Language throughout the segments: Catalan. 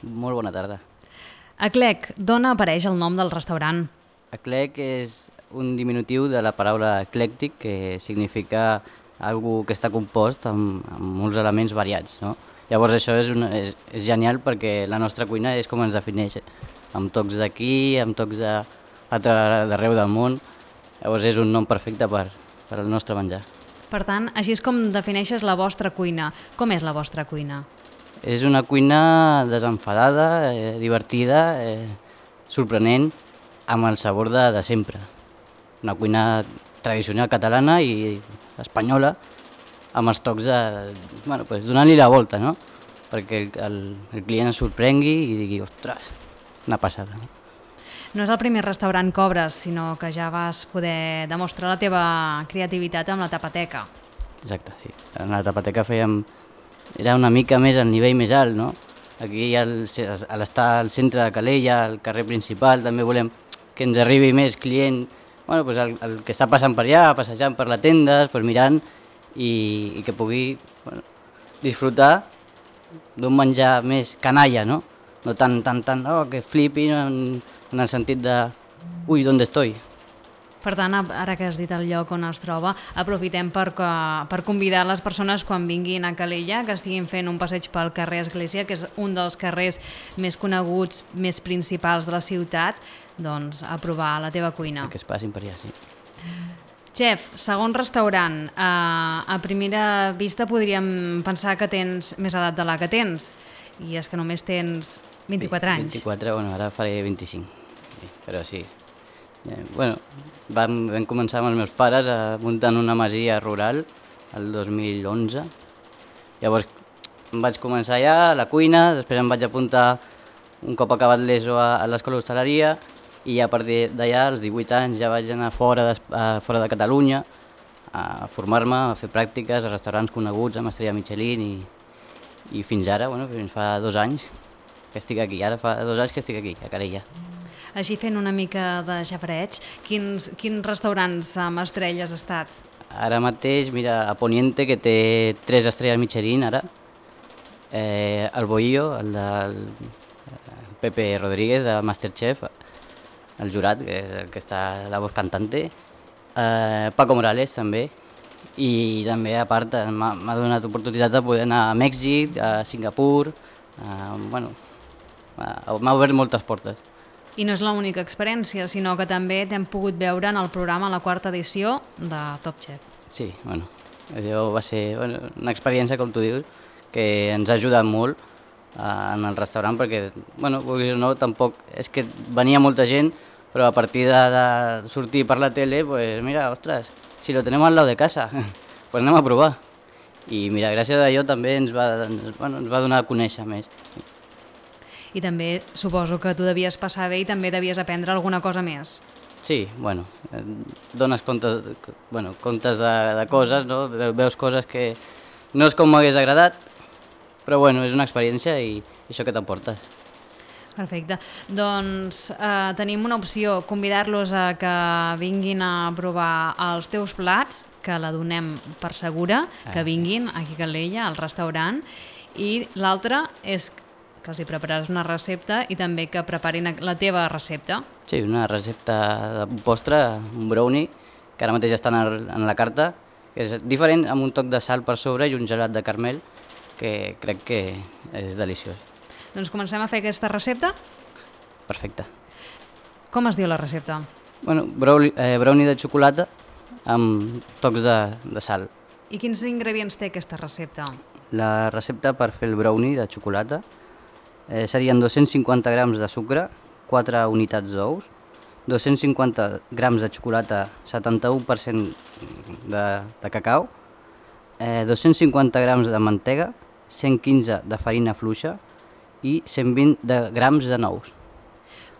Molt bona tarda. Eclec, d'on apareix el nom del restaurant? Eclec és un diminutiu de la paraula eclèctic, que significa algo que està compost amb molts elements variats, no? Llavors això és genial perquè la nostra cuina és com ens defineix, amb tocs d'aquí, amb tocs d'arreu del món. Llavors és un nom perfecte per al nostre menjar. Per tant, així és com defineixes la vostra cuina. Com és la vostra cuina? És una cuina desenfadada, divertida, sorprenent, amb el sabor de sempre. Una cuina tradicional catalana i espanyola, amb els tocs donant-li la volta, no? Perquè el client es sorprengui i digui, ostres, una passada. No és el primer restaurant que obres, sinó que ja vas poder demostrar la teva creativitat amb la tapateca. Exacte, sí. En la tapateca era una mica més al nivell més alt, no? Aquí, a l'estar al centre de Calella, al carrer principal, també volem que ens arribi més client, el que està passant per allà, passejant per la tenda, mirant, i que pugui disfrutar d'un menjar més canalla, no? No tan, que flipi en el sentit de, ui, ¿dónde estoy? Per tant, ara que has dit el lloc on es troba, aprofitem per convidar les persones quan vinguin a Calella, que estiguin fent un passeig pel carrer Església, que és un dels carrers més coneguts, més principals de la ciutat, doncs a provar la teva cuina. Que es passin per allà, sí. Chef, segon restaurant. A primera vista podríem pensar que tens més edat de la que tens, i és que només tens 24 anys. 24, ara faré 25, però sí. Vam començar amb els meus pares muntant una masia rural el 2011. Llavors em vaig començar allà a la cuina, després em vaig apuntar un cop acabat l'ESO a l'escola d'hostaleria i a partir d'allà, als 18 anys, ja vaig anar fora de Catalunya a formar-me, a fer pràctiques a restaurants coneguts amb estrella Michelin i fins ara, fins fa 2 anys que estic aquí. Ara fa 2 anys que estic aquí, a Calella. Així fent una mica de xafreig, quins restaurants amb estrelles has estat? Ara mateix, mira, a Poniente, que té 3 estrelles Michelin ara, el Bohío, el del Pepe Rodríguez, de Masterchef, el jurat, que està la voz cantante, Paco Morales també, i també a part m'ha donat oportunitat de poder anar a Mèxic, a Singapur, m'ha obert moltes portes. I no és l'única experiència, sinó que també t'hem pogut veure en el programa, la 4ª edició de Top Chef. Sí, allò va ser una experiència, com tu dius, que ens ha ajudat molt en el restaurant, perquè, vulguis o no, tampoc és que venia molta gent, però a partir de sortir per la tele, pues mira, ostres, si lo tenemos al lado de casa, pues anem a provar. I mira, gràcies a allò també ens va donar a conèixer més. I també suposo que tu devies passar bé i també devies aprendre alguna cosa més. Sí, dones comptes de coses, no? Veus coses que no és com m'hagués agradat, però és una experiència i això que t'emportes. Perfecte. Doncs tenim una opció, convidar-los a que vinguin a provar els teus plats, que la donem per segura, que vinguin aquí a Calella, al restaurant, i l'altra és que els hi prepararàs una recepta i també que preparin la teva recepta. Sí, una recepta de postre, un brownie, que ara mateix està en la carta, que és diferent, amb un toc de sal per sobre i un gelat de caramel, que crec que és deliciós. Doncs comencem a fer aquesta recepta? Perfecte. Com es diu la recepta? Brownie de xocolata amb tocs de sal. I quins ingredients té aquesta recepta? La recepta per fer el brownie de xocolata serien 250 grams de sucre, 4 unitats d'ous, 250 grams de xocolata, 71% de cacau, 250 grams de mantega, 115 de farina fluixa i 120 grams de nous.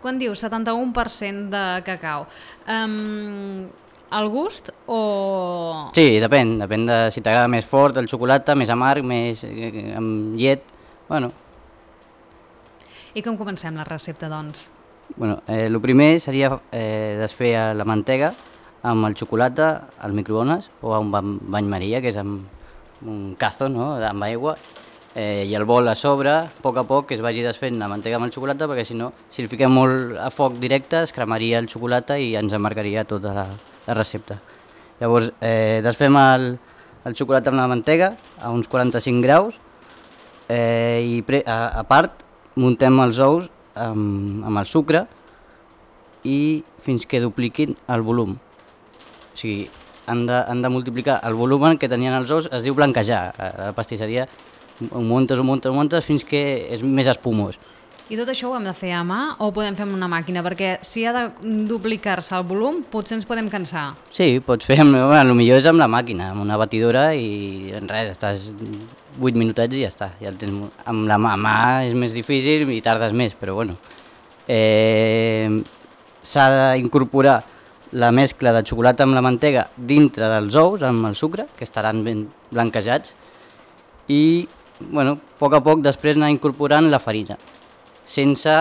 Quan dius 71% de cacau, al gust o...? Sí, depèn de si t'agrada més fort el xocolata, més amarg, més amb llet, I com comencem la recepta, doncs? El primer seria desfer la mantega amb el xocolata al microones o a un bany maria, que és amb un cazo, no?, amb aigua, i el bol a sobre, a poc que es vagi desfent la mantega amb el xocolata, perquè si no, si el fiquem molt a foc directe es cremaria el xocolata i ens amargaria tota la recepta. Llavors desfem el xocolata amb la mantega a uns 45 graus i a part muntem els ous amb el sucre i fins que dupliquin el volum. O sigui, han de multiplicar el volum que tenien els ous, es diu blanquejar. A la pastisseria ho muntes fins que és més espumós. I tot això ho hem de fer a mà o ho podem fer amb una màquina? Perquè si ha de duplicar-se el volum, potser ens podem cansar. Sí, pots fer, el millor és amb la màquina, amb una batidora i en res, estàs 8 minutets i ja està. Ja el tens, amb la mà és més difícil i tardes més, però bueno. S'ha d'incorporar la mescla de xocolata amb la mantega dintre dels ous, amb el sucre, que estaran ben blanquejats, i bueno, a poc després anar incorporant la farina, sense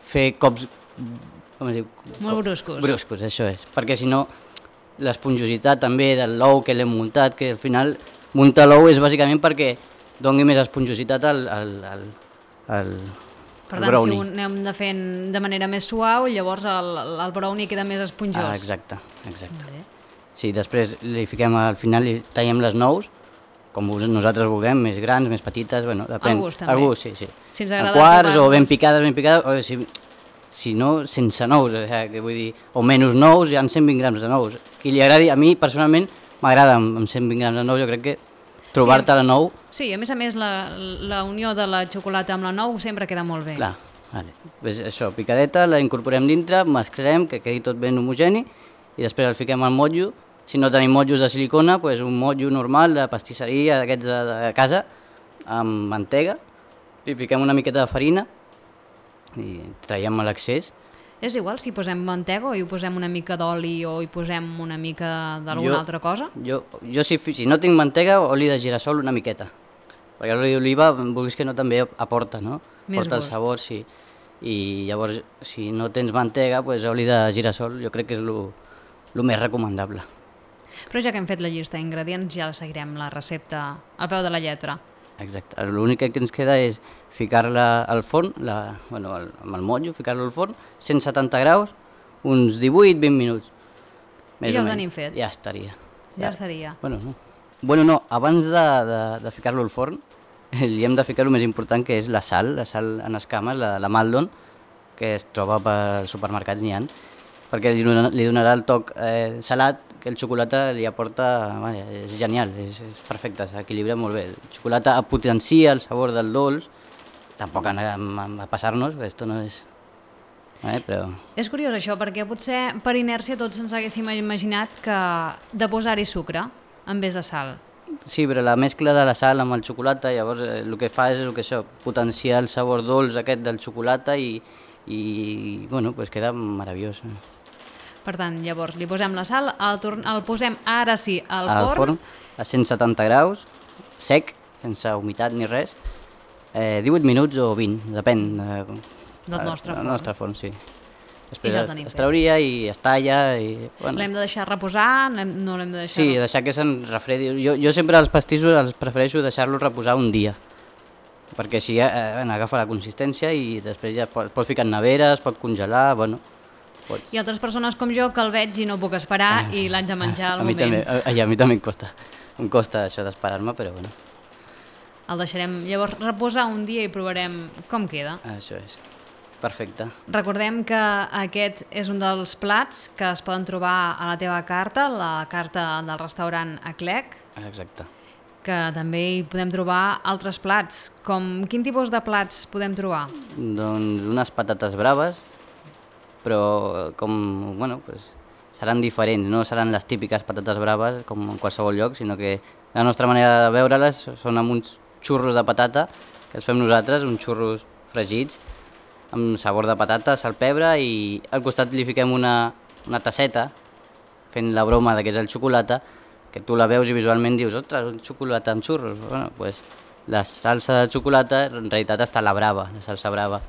fer cops, com es diu? Molt bruscos. Bruscos, això és, perquè si no l'esponjositat també del l'ou que l'hem muntat, que al final muntar l'ou és bàsicament perquè doni més esponjositat al per tant, brownie. Si ho anem de fent de manera més suau, llavors el brownie queda més esponjós. Exacte. Vale. Sí, després li fiquem al final, li tallem les nous, com nosaltres vulguem, més grans, més petites, bueno, depèn. Al gust, també. Al gust, sí. Si ens agrada a quarts o ben picades, o si no, sense nous, vull dir, o menys nous, hi ha 120 grams de nous. Qui li agradi, a mi personalment m'agrada amb 120 grams de nous, jo crec que trobar-te la nou... Sí, a més la unió de la xocolata amb la nou sempre queda molt bé. Clar, vale. Pues això, picadeta, la incorporem dintre, mesclem, que quedi tot ben homogeni, i després el fiquem al motllo. Si no tenim motllos de silicona, pues un motllo normal de pastisseria, d'aquests de casa, amb mantega, i fiquem una miqueta de farina i traiem l'excés. És igual si posem mantega o hi posem una mica d'oli o hi posem una mica d'alguna altra cosa? Jo si no tinc mantega, oli de girassol una miqueta, perquè l'oli d'oliva, vulguis que no, també aporta, no? Aporta el sabor, sí. I llavors, si no tens mantega, pues oli de girassol jo crec que és el més recomanable. Però ja que hem fet la llista d'ingredients, ja seguirem la recepta al peu de la lletra. Exacte, l'únic que ens queda és ficar-la al forn, amb el motllo, ficar-lo al forn, 170 graus, uns 18-20 minuts. I ja ho tenim fet? Ja estaria. Ja estaria. Bueno, no, abans de ficar-lo al forn, li hem de ficar el més important, que és la sal en escames, la Maldon, que es troba pel supermercat, n'hi ha, perquè li donarà el toc salat, que el xocolata li aporta, és genial, és perfecte, s'equilibra molt bé. El xocolata potencia el sabor del dolç, tampoc anem a passar-nos, perquè esto no és... però... És curiós això, perquè potser per inèrcia tots ens haguéssim imaginat que de posar-hi sucre en vez de sal. Sí, però la mescla de la sal amb el xocolata, llavors el que fa és potenciar el sabor dolç aquest del xocolata i bueno, pues queda meravellós. Per tant, llavors li posem la sal, el posem ara sí al forn a 170 graus, sec, sense humitat ni res, 18 minuts o 20, depèn del nostre forn. Sí. Després es trauria i es talla. L'hem de deixar reposar? No l'hem de deixar... Sí, deixar que se'n refredi. Jo sempre els pastissos els prefereixo deixar-los reposar un dia, perquè així agafa la consistència i després ja pots ficar en nevera, es pot congelar, Hi ha altres persones com jo que el veig i no puc esperar i l'haig de menjar al moment. A mi també em costa això d'esperar-me, però bueno. El deixarem llavors reposar un dia i provarem com queda. Això és, perfecte. Recordem que aquest és un dels plats que es poden trobar a la teva carta, la carta del restaurant Eclec. Exacte. Que també hi podem trobar altres plats. Quin tipus de plats podem trobar? Doncs unes patates braves, però seran diferents, no seran les típiques patates braves com en qualsevol lloc, sinó que la nostra manera de veure-les són amb uns xurros de patata que els fem nosaltres, uns xurros fregits amb sabor de patata, sal, pebre, i al costat li fiquem una tasseta fent la broma que és el xocolata, que tu la veus i visualment dius, ostres, un xocolata amb xurros. La salsa de xocolata en realitat està a la brava, la salsa brava.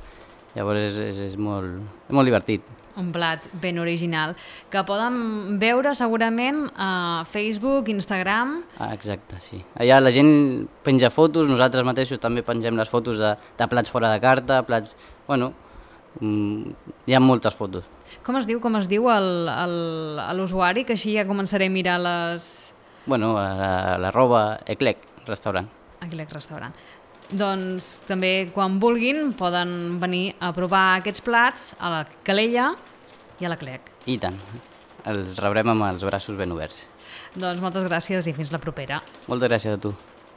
Llavors és molt divertit. un plat ben original, que poden veure segurament a Facebook, Instagram... Exacte, sí. Allà la gent penja fotos, nosaltres mateixos també pengem les fotos de plats fora de carta, plats... Bueno, hi ha moltes fotos. Com es diu l'usuari, que així ja començaré a mirar les... Bueno, a l'arroba Eclec Restaurant. Eclec Restaurant. Doncs també quan vulguin poden venir a provar aquests plats a la Calella i a l'Eclec. I tant, els rebrem amb els braços ben oberts. Doncs moltes gràcies i fins la propera. Moltes gràcies a tu.